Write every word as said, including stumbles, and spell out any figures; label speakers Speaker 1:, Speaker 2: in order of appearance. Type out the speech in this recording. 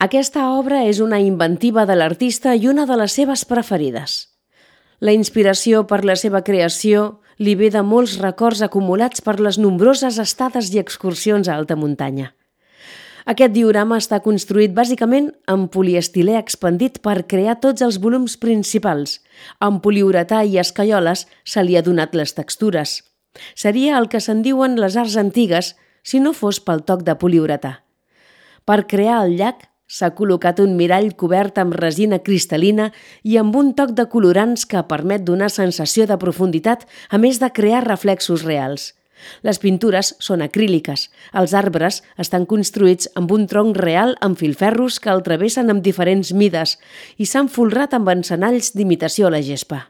Speaker 1: Aquesta obra és una inventiva de l'artista i una de les seves preferides. La inspiració per la seva creació li ve de molts records acumulats per les nombroses estades i excursions a alta muntanya. Aquest diorama està construït bàsicament amb poliestilè expandit per crear tots els volums principals. Amb poliuretà i escaioles se li ha donat les textures. Seria el que se'n diuen les arts antigues si no fos pel toc de poliuretà. Per crear el llac s'ha col·locat un mirall cobert amb resina cristal·lina i amb un toc de colorants que permet donar sensació de profunditat, a més de crear reflexos reals. Les pintures són acríliques. Els arbres estan construïts amb un tronc real amb filferros que el travessen amb diferents mides i s'han folrat amb encenalls d'imitació a la gespa.